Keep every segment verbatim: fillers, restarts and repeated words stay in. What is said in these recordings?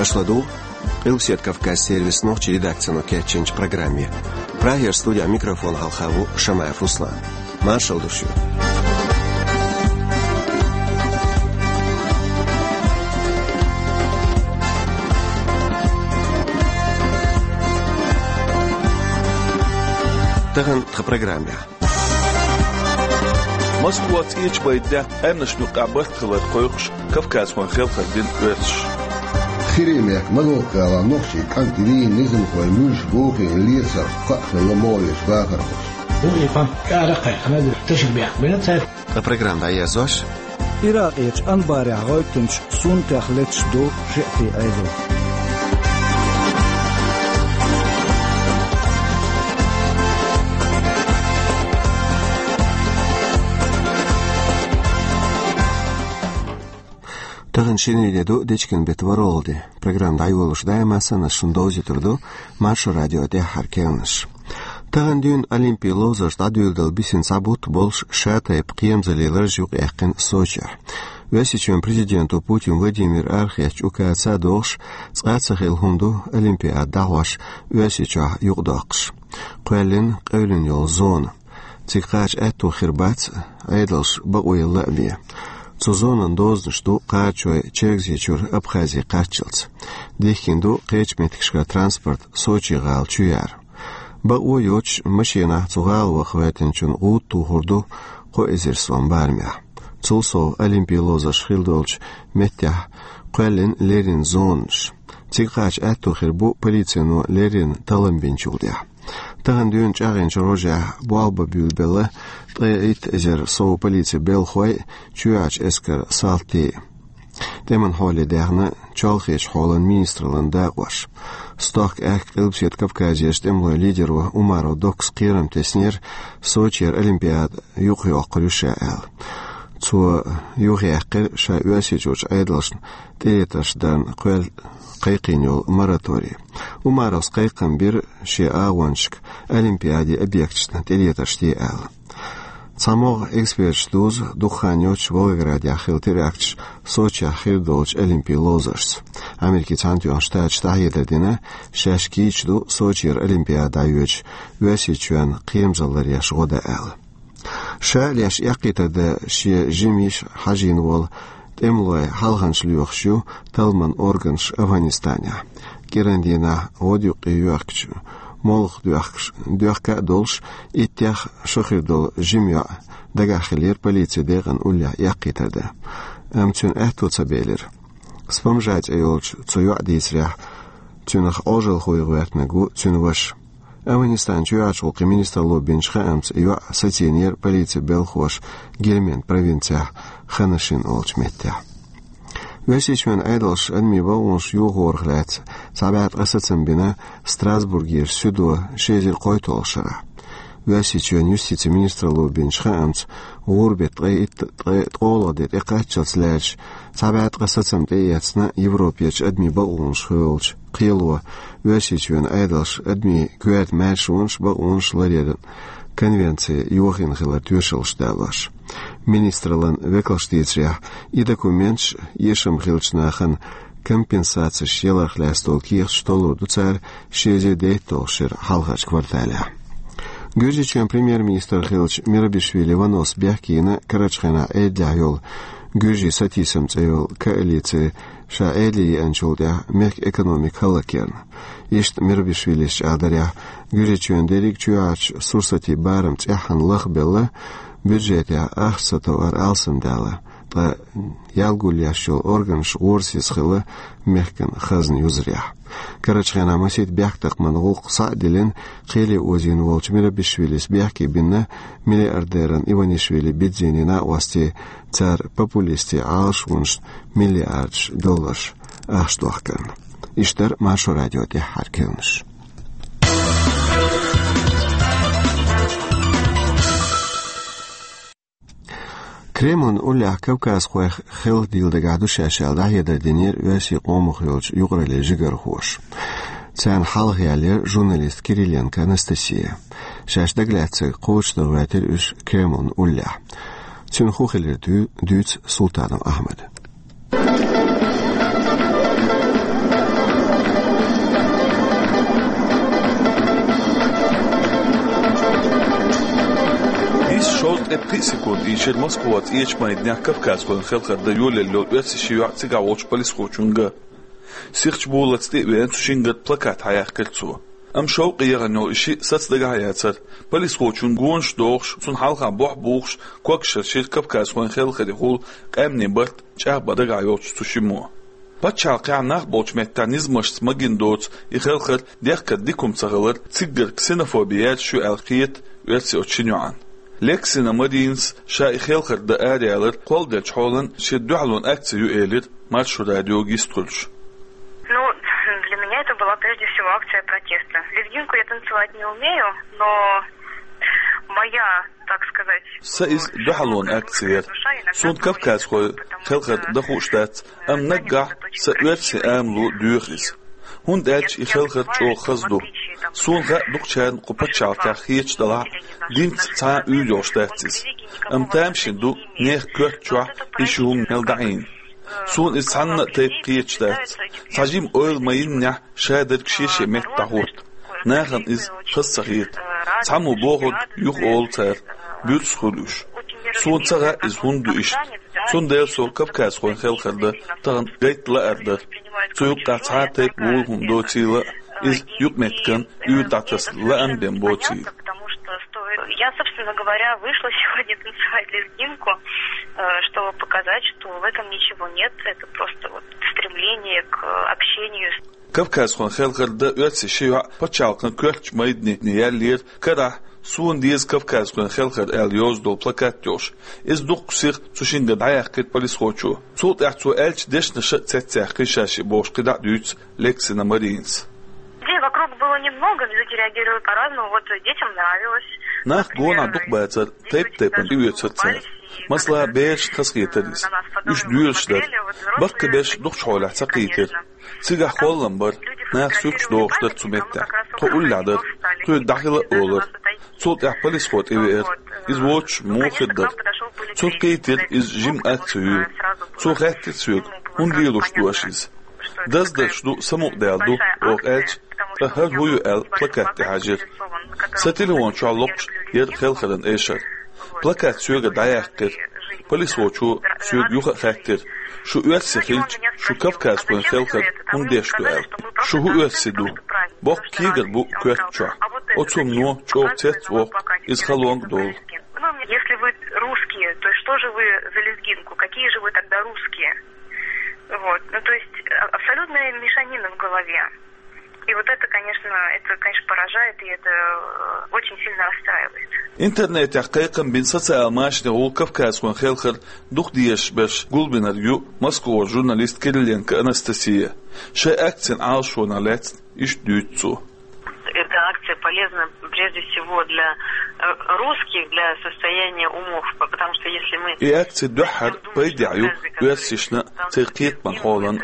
Аша ладугӀу Къилбаседа Кавказан сервисан нохчийн редакцино кечйинчу программе. Прагера студехь микрофон хьалха ву Шамаев Руслан. Маршалла ду шуьга. Тахана тхан программехь. Москва цӀечу бай даьтта аьмнашна юкъахь барт хилар кхойкхуш Кавказхойн хелхар дина оьрсаша. ХӀирийн мехкан Могилка-гӀалахь нохчийн кӀант дийна низамхой муьлш бохийна лецарх кхаъ хилла могӀарерчу бахархошна. Юкъа и памп кӀара а кхайкхина, тешнабехк бина цара. Ткъа программа дӀаерзош. Иракъерчу Анбарехь гӀевттинчу суннатех леташ ду шиътийн Ӏедал. Тахана шинарин де ду, дечкен беттан ворхӀалгӀа. Программа дӀайолош даима санна шуна довзуьйтур ду Маршо радион тӀаьххьара кхаьънаш. Тахана дуьйна Олимпин ловзарш дӀадуьйладала бисина цхьа бутт болуш шатайпа кхерамзаллин лараш юкъаяьккхина Сочехь. Оьрсийчоьнан президенто Путин Владимира арахецначу указаца а догӀуш, цкъа а ца хилла хӀума ду Олимпиада дӀахьош Оьрсийчохь юкъадоккхуш. Кхоьллина къевлина йолу зона. Цига кхача аьтто хир бац Ӏедалша бакъо елла а бен. Цу зонан дозанаш ду кхачой Чергазийчуьра Абхазе кхаччалц. Дихкина ду кхечу меттигашкара транспорт Сочи-гӀала чу яр. Бакъо йоцуш машенахь цу гӀала ваха гӀоьртинчун гӀуда тухур ду кхо эзар сом барамехь. Цул сов Олимпин ловзарш хилла долчу меттехь кхоьллина леррина зонанаш. Цига кхача аьтто хир бу полицино леррина таллам бинчул тӀаьхьа. Тахана дуьйна чӀагӀйинчу рожехь болх бан буьйлабелла ткъе итт эзар сов полицин белхалой, чоьхьарчу эскаран салтий. ТӀеман хьоле даьхна чолхечу хьолан министраллан дакъош. Стохка аьхка Къилбаседа Кавказерчу тӀемалойн лидеро Умаров Доккас кхерам теснера, Сочера Олимпиада юхайоккхур ю ша аьлла. Цо юхаяьккхира ша Оьрсийчуьрчу Ӏедалшна тӀелетарш дарна кхоьлла кхайкхийна йолу мораторий. Умаровс кхайкхам бира шен агӀончашка Олимпиадин объекташна тӀелетарш де аьлла. Цхьа могӀа эксперташ дузу дукха хан йоццуш Волгоградехь хилла теракташ Сочехь хир долчу Олимпин ловзаршца. Америкин Цхьаьнатоьхна Штаташа дӀахьедар дина, шаьш кийча ду Сочера Олимпиада дӀайоьдуш Оьрсийчоьнна кхерамзалла ларъеш гӀо дан аьлла. Ша а леш эккхийтар дан шен жима йиша хьажийна волу тӀемалой хьалханчаш лоьхуш ю талламан органаш Афганистанехь. КӀиран дийнахь гӀодаюккъе йоьхкича, молха доьхкуш, доьхка а долуш, иттех шо хир долу жима йоӀ дагахь хиллера полицин декъан уллехь эккхийтар дан. Амма цуьнан аьтто ца белира. Спамжа цӀе йолчу цу йоӀан дийцарехь, цуьнах Ӏожалхо гӀоьртинарг ву цуьнан ваша. Афганистанан чоьхьарчу гӀуллакхийн министралло бинчу хаамца, йоӀ сацийнера полицин белхалоша Гельманд провинцехь Ханашин олучу меттехь. Оьрсийчоьнан Ӏедалша адамийн бакъонаш йохорах лаьцна цхьа бӀе ткъа сацам бина Страсбургерчу суьдо ши эзар кхойтталгӀачу шарахь. Оьрсийчоьнан юстицин министралло бинчу хаамца, гӀуран беттан ткъе итт, ткъе ткъолгӀа де тӀекхаччалц лаьрча, цхьа бӀе ткъа сацам тӀеэцна Европерчу адамийн бакъонаш хуьлучу кхело, Оьрсийчоьнан Ӏедалша адамийн коьрта маьршонаш, бакъонаш ларъяран конвенци йохийна хилар тоьшаллаш далош. Министраллан векалша дийцарехь, и документаш эшам хиллачу нахана компенсацеш яларх лаьцна долу кехаташ толлур ду цара ши эзар дейтталгӀачу шеран хьалхарчу кварталехь. Гуьржийчоьнан премьер-министр хиллачу Мирабишвили Ванос бехке йина карарчу хенахь Ӏедалехь йолу Гуьржийн сатийсам цӀе йолу коалици ша Ӏедале еанчул тӀаьхьа мехкан экономика хӀаллакъярна. Иштта Мирабишвилис чӀагӀдарехь, Гуьржийчоьнан дерриг чоьхьарчу сурсатийн барам цӀеххьана лахбелла, бюджетехь ахча сатовар алсамдаьлла, ткъа ял гулъеш йолу органаш гӀорасиз хилла мехкан хазна юзарехь. Карарчу хенахь масийтта бехктакхаман гӀуллакх схьа а диллина, кхеле озийна волчу Мирабишвилис бехке бина миллиардеран Иванишвили Бидзини накъостий цара популистийн Ӏалашонашна миллиардаш долларш ахча дохкарна. Иштта дара Маршо радион тӀаьххьара кхаьънаш. Кремлан уллехь кавказхой хелхадийла дагахь ду шаьш аьлла, дӀахьедар динера оьрсийн къомах йолчу юкъараллин жигархоша. Царна хьалха яьллера журналист Кириленко Анастасия. Шаьш дагалаьцнарг кхочушдан гӀоьртира уьш Кремлан уллехь. Цуьнан хӀун хилира дуьйцу Султанов Ахьмада. Шовзткъе пхиъ секунд ийшира Москваца цӀечу майданехь кавказхойн хелхар дан йолаелла йолу оьрсийн ши йоӀ цигахь волчу полисхочуьнга. Сихачу болаллица тӀе а веана, цу шингара плакат хьаяьккхира цо. Амма шовкъе яхана йолу и шиъ саца дагахь а яцара. Полисхочунна гонаш дохуш, цунна хьалха бохь бухуш, когашхошкара кавказхойн хелхарехула къаьмнийн барт чӀагӀбан дагахь йолчу цу шиммо. Пачхьалкхехь нах болчу меттехь низамашца магийна доцу и хелхар дехкар дика хӀума ца хилар, циггара ксенофоби яьржаш ю аьлла кхета оьрсийн оцу шина йоӀана. Лексина Маринас ша и хелхар дан араяьлларг кхолладеллачу хьолан шен дуьхьалонан акци ю элира Маршо радиога йистхуьлуш. Ну, для меня это была прежде всего акция протеста. Лезгинку я танцевать не умею, но моя, так сказать, Сан иза дуьхьалонан акци яра. Суна кавказхойн хелхар дан хууш дац, амма наггахь сан оьрсийн амало доьху иза. ХӀунда аьлча и хелхар чӀогӀа хаза ду. Суна хаьа, дукхачарна кху пачхьалкхехь хеташ делахь а, динца цхьа а уьйр йолуш дац иза. Амма тамашийна ду, нехан коьрта чохь и ши хӀума мел дӀаийна. Суна иза цхьанна а тайпа кхеташ дац. Цхьа жима ойла ма-йиннехь, шадерг шен-шен метта дӀахӀутту. Нахана иза хаза ца хета. Цхьаммо бохург юха олу цара, буьрса хуьлу уьш. Суна ца хаьа, иза хӀунда ду иштта. Цундела со кавказхойн хелхар дан тахана гайта лаар дара. Цу юккъехь цхьа а тайпа вуй хӀума доцийла, иза юкъаметтиган уьйр дӀатасна лаам бен боцийла. Потому что стоит... Я, собственно говоря, вышла сегодня танцевать лезгинку, э, чтобы показать, что в этом ничего нет. Это просто вот стремление к общению с Кавказхойн хелхар дан оьрсийн ши йоӀ пачхьалкхан коьртачу майдане яьллера карахь «Суна деза кавказхойн хелхар» аьлла йоза долу плакат йолуш. Иза дуккха сиха цу шингара дӀаяьккхира полисхочо. Цул тӀаьхьа цо аьллачу дешнаша а цецъяьккхина ша шиъ бохуш кхидӀа а дуьйцу Лексина Маринас. Людей вокруг было немного, люди реагировали по-разному. Вот детям нравилось. Нах гонах дукха бацара, тайп-тайпана тӀеоьцура цара. Масала, берашна хазахетара иза. Уьш доьрзуш дара. Баккхийберш дукхачу хьолехь ца кхийтира. Цигахь холлам бара, наха суьрташ дохуш дара цу меттехь. Тхо уллехь дара, тхоьга дӀахила а олура. Цул тӀаьхьа полисхо тӀевеара. Иза воцуш муха хир дара? Цунна кхийтира иза жима акци ю. Цо хаьттира соьга, хӀунда лелош ду аша иза. Даздарш ду, самукъадаьлла ду, оха аьлча, ткъа хӀара хӀун ю аьлла плакат тӀехьажира. Сан телефон чохь локхуш яра хелхаран эшар. Плакат соьгара дӀаяьккхира. Полисхочо соьга юха а хаьттира: «Шу оьрси хилча, шу кавказхойн хелхар хӀунда деш ду?» — аьлла. «Шу хӀун оьрси ду? Боккха кегар бу коьрта чохь. Оцу хӀумано чӀогӀа цец а воккху, иза халонга а долу». Ну, если вы русские, то что же вы за лезгинку? Какие же вы тогда русские? Вот. Ну, то есть, а, абсолютная мешанина в голове. И вот это, конечно, это, конечно, поражает, и это, э, очень сильно расстраивает. Интернетехь кхайкхам бина социал машанехула кавказхойн хелхар дукха дезаш берш гулбинарг ю Москвара журналист Кириленко Анастасия. Шайн акцин Ӏалашонах лаьцна иштта дуьйцу цо. Эта акция полезна прежде всего для, э, русских, для состояния умов, по-, потому что если мы И акци дуьххьара пайдехь ю оьрсашна, церан кхетаман хьолан.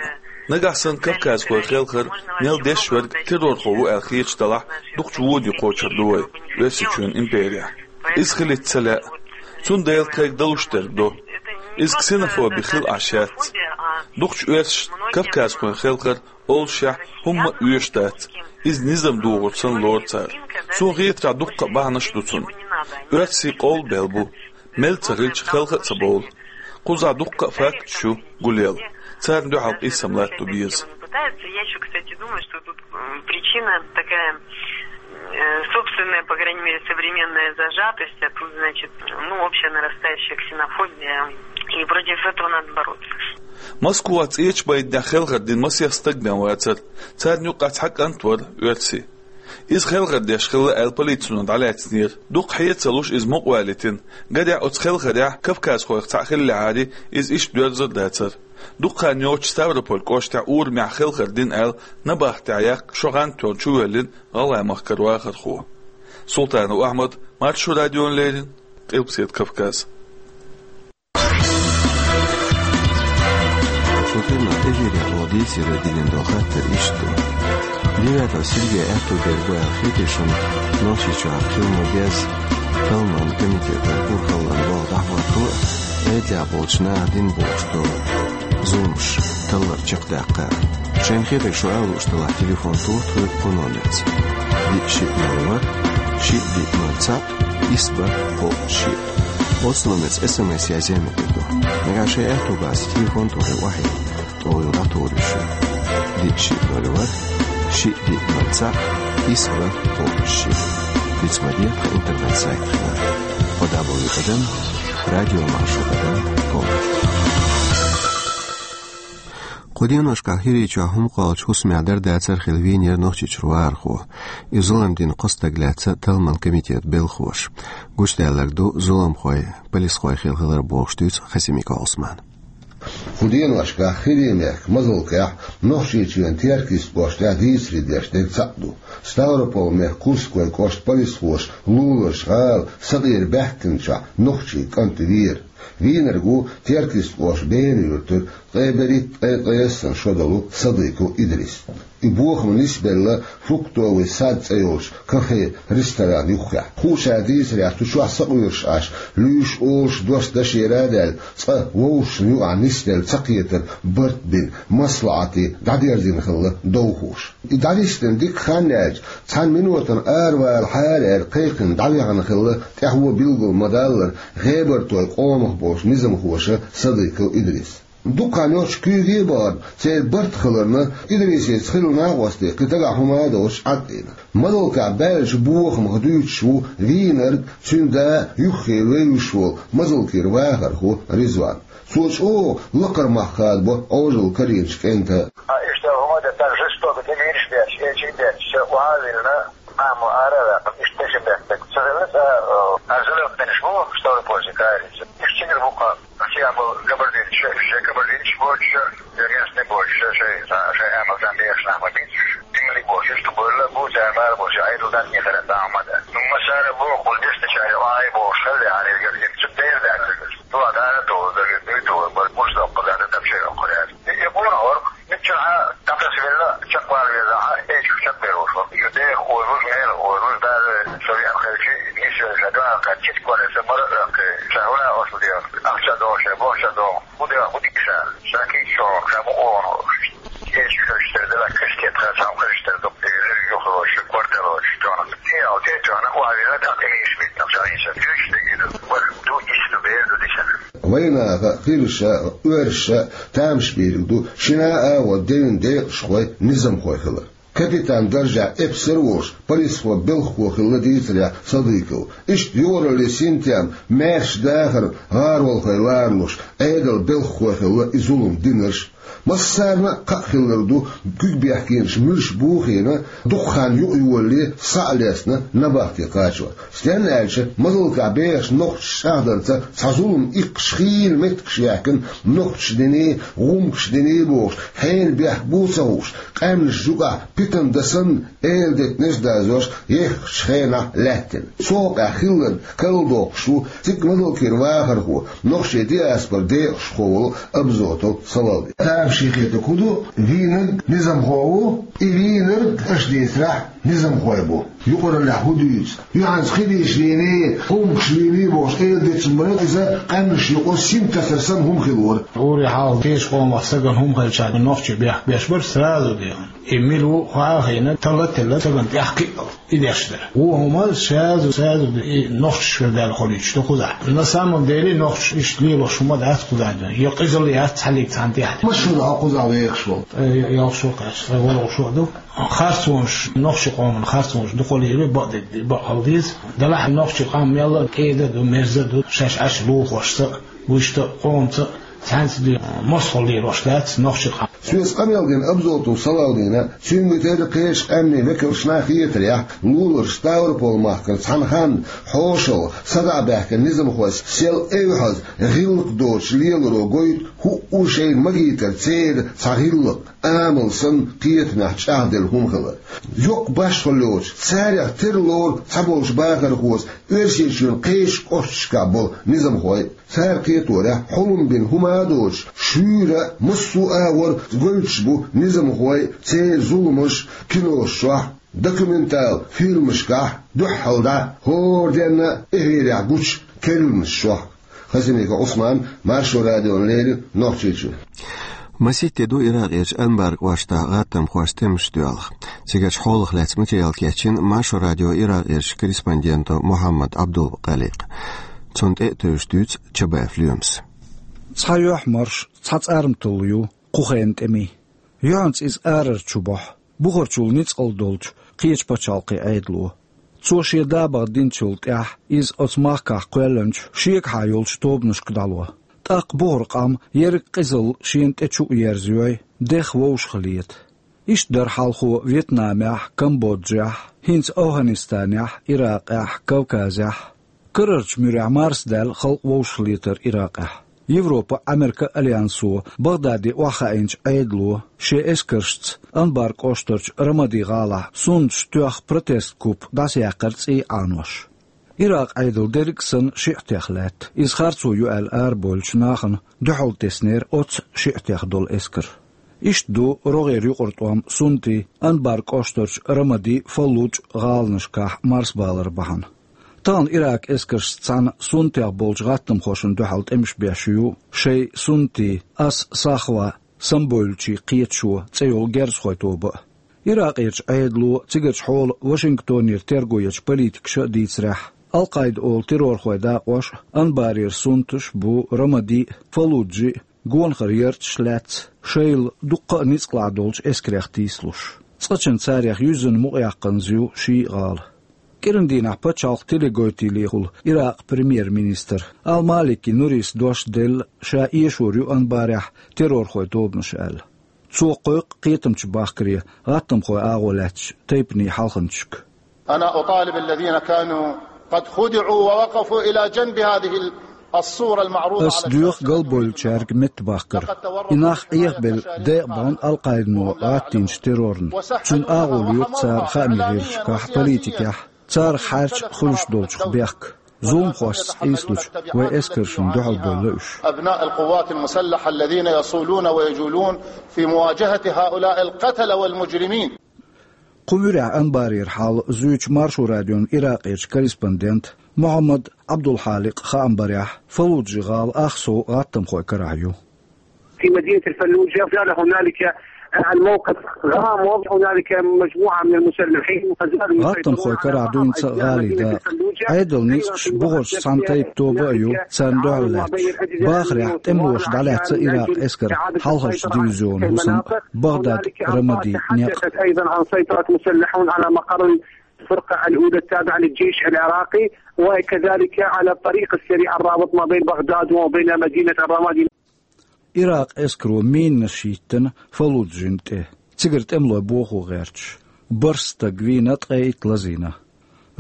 Нагахь санна кавказхойн хелхар мел деш верг террорхо ву аьлла хеташ далахь, дукхачу воде кхочур ду вай Оьрсийчоьнан имперехь. Иза хилийта ца лаьа. Цундела тхайга далуш дерг до. Иза ксенофоби хила Ӏаш яц. Дукхачу оьрсашна кавказхойн хелхар олушехь хӀумма а оьшуш дац. Иза низам дохур санна лору цара. Суна хетарехь, дуккха а бахьанаш ду цунна. Оьрсийн къовлабелла бу. Мел ца хилча, хелха а ца бовлу. Кхузахь дуккха а факташ ю гулъелла. Царна дуьхьал къийсам латто беза. Пытаются. Я ещё, кстати, думаю, что тут, м, причина такая, э, собственная, по крайней мере, современная зажатость, а тут, значит, ну, общая нарастающая ксенофобия, и против этого надо бороться. Москвахь цӀечу майданехь хелхар дина масех стаг бен вацара. Царна юккъехь цхьа кӀант вара оьрси. Иза хелхар деш хилла аьлла полицино дӀалаьцнера. Дукха хье а ца луш, иза мукъавалийтина. Гарехь, оцу хелхарехь кавказхойх цхьаъ хиллехьара, иза иштта доьрзур а дацара. Дукха хан йоццуш Ставрополь кӀоштехь урамехь хелхар дина аьлла, набахтехь яккха шо гӀантор чувоьллина гӀалгӀай махкара вахархо. Султанов Ахьмад, Маршо радиона леррина, Къилбаседа Кавказ. Шун хилла эфирехь дийцаре диллина долу хаттар иштта ду. Девятов Сергей аьтту дерг ву аьлла хетий шуна Нохчийчохь хила ма-безза талламан комитетан урхаллан болх дӀахӀотто а, Ӏедалехь болчу наха дина бохуш долу зуламаш таллар чекхдаккха а? Шайна хетарг шу ала лууш делахь, телефон тоха тхоьга кху номерца: диъ шиъ ноль ворхӀ, шиъ диъ ноль цхьаъ, исс бархӀ кхоъ шиъ. Оцу номерца СМС язъе мегар ду. Нагахь шайн аьтто бац телефон тӀе охьа, тӀе йолу дӀатур ю шуна. Диъ шиъ ноль ворхӀ, шиъ диъ ноль цхьаъ, исс ворхӀ кхоъ шиъ. Диц ма де тхан интернет-сайт хилар. Кхо дабл ю тӀадам, радио маршо тӀадам ком. Кху деношкахь ХӀирийчохь хӀума кхоллучу хӀусамехь дар-дацар хилла вийнера Нохчийчуьра вахархо. И зулам дина кхо стаг лаьцна талламан комитетан белхахоша. Гучудаьлларг ду зуламхой, полисхой хилла хилар бохуш дуьйцу Хасимиков Ӏусмана. Кху деношкахь ХӀирийн мехкан Мазалкхехь, Нохчийчоьнан Теркйист кӀоштахь дийцаре деш дерг цхьаъ ду. Ставрополь-мехкан Курской кӀоштан полисхоша луларчу гӀала сакъера баьхкинчохь нохчийн кӀант веара. Вийнарг ву Теркйист кӀоштан Бена юьртара ткъе берхӀитта, ткъе кхоьссана шо долу Садыков Идрис. И бохам нисбелла «Фруктовый сад» цӀе йолчу кафе-ресторан юххехь. Кхушара дийцарехь, цу чохь сакъоьруш Ӏаш, луьйш-олуш дош дашера а даьлла, цкъа вовшашна юкъахь нисделла цакхетар барт бина, маслаӀате дӀадерзийна хилла довхоша. И дӀанисдина дика хан яьлча, цхьана минотана аравалахьара аьлла кхайкхина дӀаваьхна хилла, тӀаьхьо билгал ма-даллара, гӀебартойн къомах болчу низамхоша Садыков Идрис. Дукха хан йоццуш куьйге а бахана, церан барт хиларна, Идрисица хилла накъостий кхин дагахь хӀума а доцуш Ӏад а ийна. Мазалкхехь баьллачу бохамах дуьйцуш ву вийнарг, цуьнан да, юххе вевзаш волу Мазалкхера вахархо Ризван. Цо чӀогӀа лакхара мах хадабо Ӏожалла карийначу кӀентан. А иштта хӀума дан, так жестоко, тӀе вийраш беш, эчиг беш, ша охьа а виллина, Амма ара а ваьккхина, иштта тешнабехк дерг ца хилла, цкъа, э, ара зулам бинарш бу, Ставрополье кхаьринчу. Иштта цигара бу-кх, цигахь болу кабардинцаш, шайн кабардинцаш боцуш, шайн местный боцуш, шайн, шайн амал царна дехаш нах ма бийцуш. Дингалиг боцуш, иштта бевлла бу, цара бала боцуш, Ӏедал дӀа а хилла, дӀа а ма дан. Ну, массара а боху, кхул дешначара Ӏай бохуш хилла, хьалхарчу дайра даьлла. Дуьхьа дара а тухур, дагар дуй тухур, бара гуш доккхур, дара дапчий доккхур яц. И, и къонахалла, миччахьа дӀатасавелла, чекхвала везахь, эчиг чекхбер ву шуна. Иза деха озалуш, мела озалуш, даже со веана хилча, нисвелла ша дуьхьал кхаьчча, читиг валар сан бара а ваьккхи, ша хӀуна оцу дела, ахча догӀу ша, бохча догӀу, хӀун дела, хӀун дийша, ша кийча чохь, ша бу къонахалла. Эчиг хилча тера дела, кхечу кепара цхьа хилча тера ду, юхалоша, корталоша, чохь. Те ал, те чохь, охьавелла, тӀаккха эчиг битта, ша хӀинца, дуьйцуш дерг иза, бара ду, иштта ду, бер ду дисина. Вайнаха, кхируша, оьрша, тамаш бийриг ду шина а агӀор девнан декъашхой, низамхой хилар. Капитан даржехь эпсар а волуш, полисхо белхахо хилла дийцарехь Садыков. Иштта юкъараллин синтем, маьрша дахар, гӀаролхой ларалуш, Ӏедалан белхахой хилла и зулам динарш. Массарна а кхаъ хилар ду, куьг бехкенаш муьлш бухийна, дукха хан юкъайолале схьа а лецна набахте кхачор. Стенна аьлча, Мазалкхехь бехачу нохчаша чӀагӀдарца цхьа зулам иккхаш хийла меттигаш яьккхина, нохчаша дина, гӀумкаша дина бохуш, хьенан бехк бу а ца хууш, къаьмнаш юкъахь питана дан санна, эладитанаш а дазош, еххачу хенахь лаьттина. Цу хьокъехь хилларг карладоккхуш ву цига Мазалкхера вахархо, нохчийн диаспоран декъашхо волу Абзотов Салавди. Тамашийна хетарг хӀун ду, вийнарг низамхо ву, и вийнарг аша дийцарехь низамхой бу. Юкъараллехь хӀун дуьйцу? Юьхьанца кхидийша вийний, гӀумкаша вийний бохуш, эладитанаш бара, иза къаьмнаш юкъа сим тасар санна хӀума хилла вара. Ури хьалха кхечу къомах стагана хӀума хилча, нохчийн бехк беш бара сразу дехна. И мила ву хьа а хиъна, талла а телла, стагана тӀехь кхиъал. И деш дара. Вон хӀума сразу, сразу и нохчаш хила даьлла хуьлуьйтуш ду кхузахь. На самом деле нохчаш иштта лелош хӀума дац кхузахь дуьйна. Я къизалла яц цхьаллиг цхьана тӀехь. Маша ду хьо кхузахь вехаш волу? Э, я, ялх шо кхаьчна, сан ворхӀ шо ду. Харцонаш, нохчийн къоман харцонаш дукха лело, бакъдерг, бакъ хила деза. Делахь нохчийн къам мелла а кӀеда а ду, мерза а ду, шаьш Ӏаш лулахошца а, вуьшта а, къомца а, цхьаьнца а ду, мостагӀалла лелош дац нохчийн къам. Соьца къамел дина Абзотов Салавдина, цуьнга терра кхечу къаьмнийн векалшна а хетарехь, луларчу Ставрополь-махкара цхьана ханна хьошалгӀа садаӀа баьхкина низамхой сел эвхьаза гӀиллакх доцуш леларо гойту хӀуъа шайна магийтар церан цхьа гӀиллакх, амал санна кхетамехь чӀагӀделла хӀума хилар. Йоккха башхалла йоцуш, царех тера лору цхьаболчу бахархоша Оьрсийчоьнан кхечу кӀошташкахь болу низамхой. Цара кхеторехь, хьулам бина хӀума а доцуш, шуьйра а, массо а агӀор гойтуш бу низамхой церан зуламаш кинош чохь, документал фильмашкахь, дуьххьал дӀа хӀора денна а эфирехь гучу керланаш чохь. Хасимиков Ӏусман, Маршо радиона леррина, Нохчийчуьра. Маситте ду Иракъерчу Анбар кӀоштахь гӀаттамхошца тӀемаш доьлху. Цигарчу хьолах лаьцна материал кечйина Маршо радион Иракъерчу корреспонденто Мухьаммад Ӏабдул-Кхаликъа. Цунна тӀе а тевжаш дуьйцу Чабаев Лоьмас. Цхьа юьхь марш, цхьа цӀарматалла ю кху хенан тӀемийн. Юьхьанца иза арара чу бохьу, бухарчул ницкъала долчу кхечу пачхьалкхийн Ӏедало. Цо шен да баха динчул тӀаьхьа иза оцу махкахь кхоьллинчу шегахьа йолчу тобанашка дӀало. ТӀаккха бухара къам ерриг къизалла шена тӀе чу а ерзайой, дех вовшахлета. Иштта дара хьалхо Вьетнамехь, Камбоджехь, хӀинца Афганистанехь, Иракъехь, Кавказехь. Карарчу муьрехь марсадаьлла халкъ вовшахлетар Иракъехь. Европа, Америка альянсо Багдаде охьахаийначу Ӏедало шен эскаршца Анбар кӀоштарчу Рамади гӀалахь суннаташ тоьхна протест-куп дӀасаяьккхира цӀий Ӏанош. Иракъ Ӏедал дерриг а санна шиӀатех лаьтта. Иза харцо ю аьлла арабевллачу нахана дуьхьал теснера оццу шиӀатех долу эскар. Иштта ду рогӀера юкъара тӀом суннатийн Анбар кӀоштарчу Рамади, Фаллуджа гӀаланашкахь марсабалар бахьана. Тахана Иракан эскаршца цхьаьна суннатех болчу гӀаттамхошна дуьхьал тӀемаш беш ю шайн суннатийн Ас-Сахва самабевллачийн кхеташо цӀе йолу герзахойн тоба а. Иракъерчу Ӏедало цигарчу хьолан Вашингтонера терго ечу политикаша а дийцарехь, Ал-Къаида олу террорхойн дакъош а, Анбарера суннаташ а бу Рамади а, Фаллуджи а, гонахара ярташ а лаьцна, шайл дуккха а ницкъалахь долчу эскарех тийсалуш. Цкъачунна царех юьззина мукъаяккханза ю ши а гӀала. КӀиран дийнахь пачхьалкхан телегойтийлехула Иракъан премьер-министра Ал-Малики Нурис дош делла, ша эшор ю Анбарехь террорхойн тобанаш аьлла. Цо кхойкху кхетамчу бахкаре гӀаттамхойн агӀо лаьцначу тайпанийн хьалханчашка. أنا أطالب الذين كانوا قد خدعوا ووقفوا إلى جنب هذه الصورة المعروضة على الشاشة. Ас доьху галбевллачаьрга меттабахкар. И нах Ӏехабелла декъабахана Ал-Къаидано гӀаттийначу террорна. Цуьнан агӀо лоьху цара хаамийн гӀирсашкахь, политикехь, царах хьаьрча хуьлуш долчух бехк. Зуламхошца къийсалучу вайн эскаршна дуьхьал бевлла уьш. أبناء القوات المسلحة الذين يصولون ويجولون في مواجهة هؤلاء القتلة والمجرمين. Кху муьрехь Анбарера хьал зуьйчу Маршо радион Иракъерчу корреспондента Мухьаммад Ӏабдулхьаликъан хаам барехь, Фаллуджи гӀала ах сов гӀаттамхойн карахь ю. في مدينة الفلوجة زال هنالك الموقف غامض، هنالك مجموعة من المسلحين ما زالوا يسيطرون على معظم أجزاء مدينة الفلوجة. ГӀаттамхойн карахь ду хӀинца а гӀалин дакъа. Ӏедалан ницкъаша бухарчу цхьана тайпа тоба а ю царна дуьхьал лаьтташ. Бахарехь тӀемалоша дӀалаьцна Иракъан эскаран хьалхарчу дивизионан хӀусам а, Багдад, Рамади некъ а. تحدثت أيضًا عن سيطرة مسلحون على مقر الفرقة الأولى التابعة للجيش العراقي، وكذلك على الطريق السريع الرابط ما بين بغداد وما بين مدينة الرمادي. Иракъан эскаро минаш йиттина Фаллуджин тӀе, цигара тӀемалой бохо гӀерташ. БархӀ стаг вийна, ткъе итт лазийна.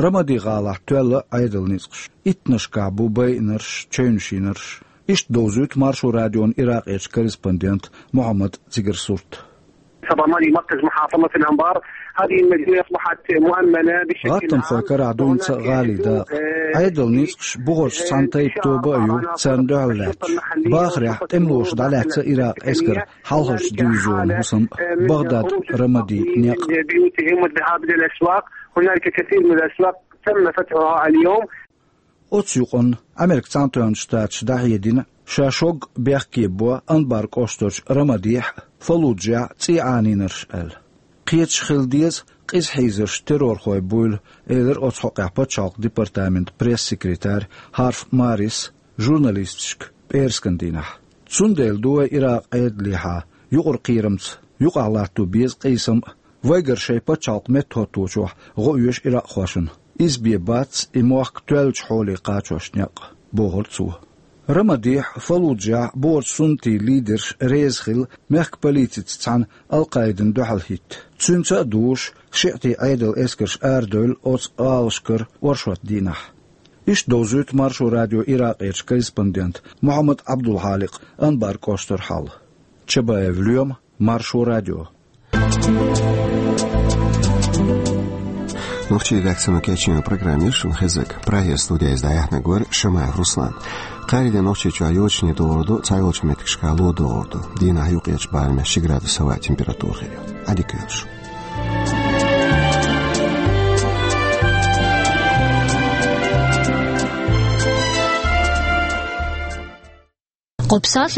Рамади гӀалахь тоьлла Ӏедалан ницкъаш. Иттанашкахь бу байинарш, чевнаш йинарш. Иштта довзуьйту Маршо радион Иракъерчу корреспондента Мухьаммада цигара сурт. صبا مالي مركز محافظة الأنبار. هذه المدينة أصبحت مؤمنة بشكل عام. ГӀаттамхойн карахь ду хӀинца а гӀалин дакъа. Ӏедалан ницкъаша бухарчу цхьана тайпа тоба а ю царна дуьхьал лаьтташ. Бахарехь тӀемалоша дӀалаьцна Иракъан эскаран хьалхарчу дивизионан хӀусам а, Багдад, Рамади некъ а. بيوتهم والذهاب إلى الأسواق. هنالك كثير من الأسواق تم فتحها اليوم. Оцу юкъанна Американ Цхьаьнатоьхначу Штаташа дӀахьедина, ша шогга бехке бо Анбар кӀоштарчу Рамадехь а, Фаллуджехь а цӀий Ӏанийнарш аьлла. Кхеташ хила деза, къиза хьийзарш террорхойн буйла, элира оцу хьокъехь пачхьалкхан департаментан пресс-секретарь Харф Маррис журналисташка пӀераскан дийнахь. Цундела ду вай Иракъан Ӏедалехьа юкъара кхерамца юкъахь латто беза къийсам а, вайгара шайн пачхьалкх меттахӀотточохь гӀо оьшу иракъхошна. Иза бен бац и мохк тоьллачу хьоле кхачош некъ, бохура цо. Рамадехь а, Фаллуджехь а бухарчу суннатийн лидерш реза хилла мехкан полицица цхьаьна Ал-Къаидана дуьхьал хӀитта. Цуьнца а дугӀуш, шиӀатийн Ӏедалан эскарш арадевлла оцу гӀалашкара оршот дийнахь. Иштта довзуьйту Маршо радион Иракъерчу корреспондента Мухьаммада Ӏабдулхьаликъан Анбар кӀоштара хьал. Чабаев Лоьма, Маршо радио. Нохчийн редакцино кечйинчу программе шуна хезарг Прагера студияйца дӀаяьхьнарг вара Шамаев Руслан. Кхаарин де Нохчийчохь йочане догӀур ду, цхьайолчу меттигашкахь ло догӀур ду. Дийнахь юккъерчу барамехь ши градус хӀаваан температура хир ю. Ӏадика йойла шун. Кху псалъаль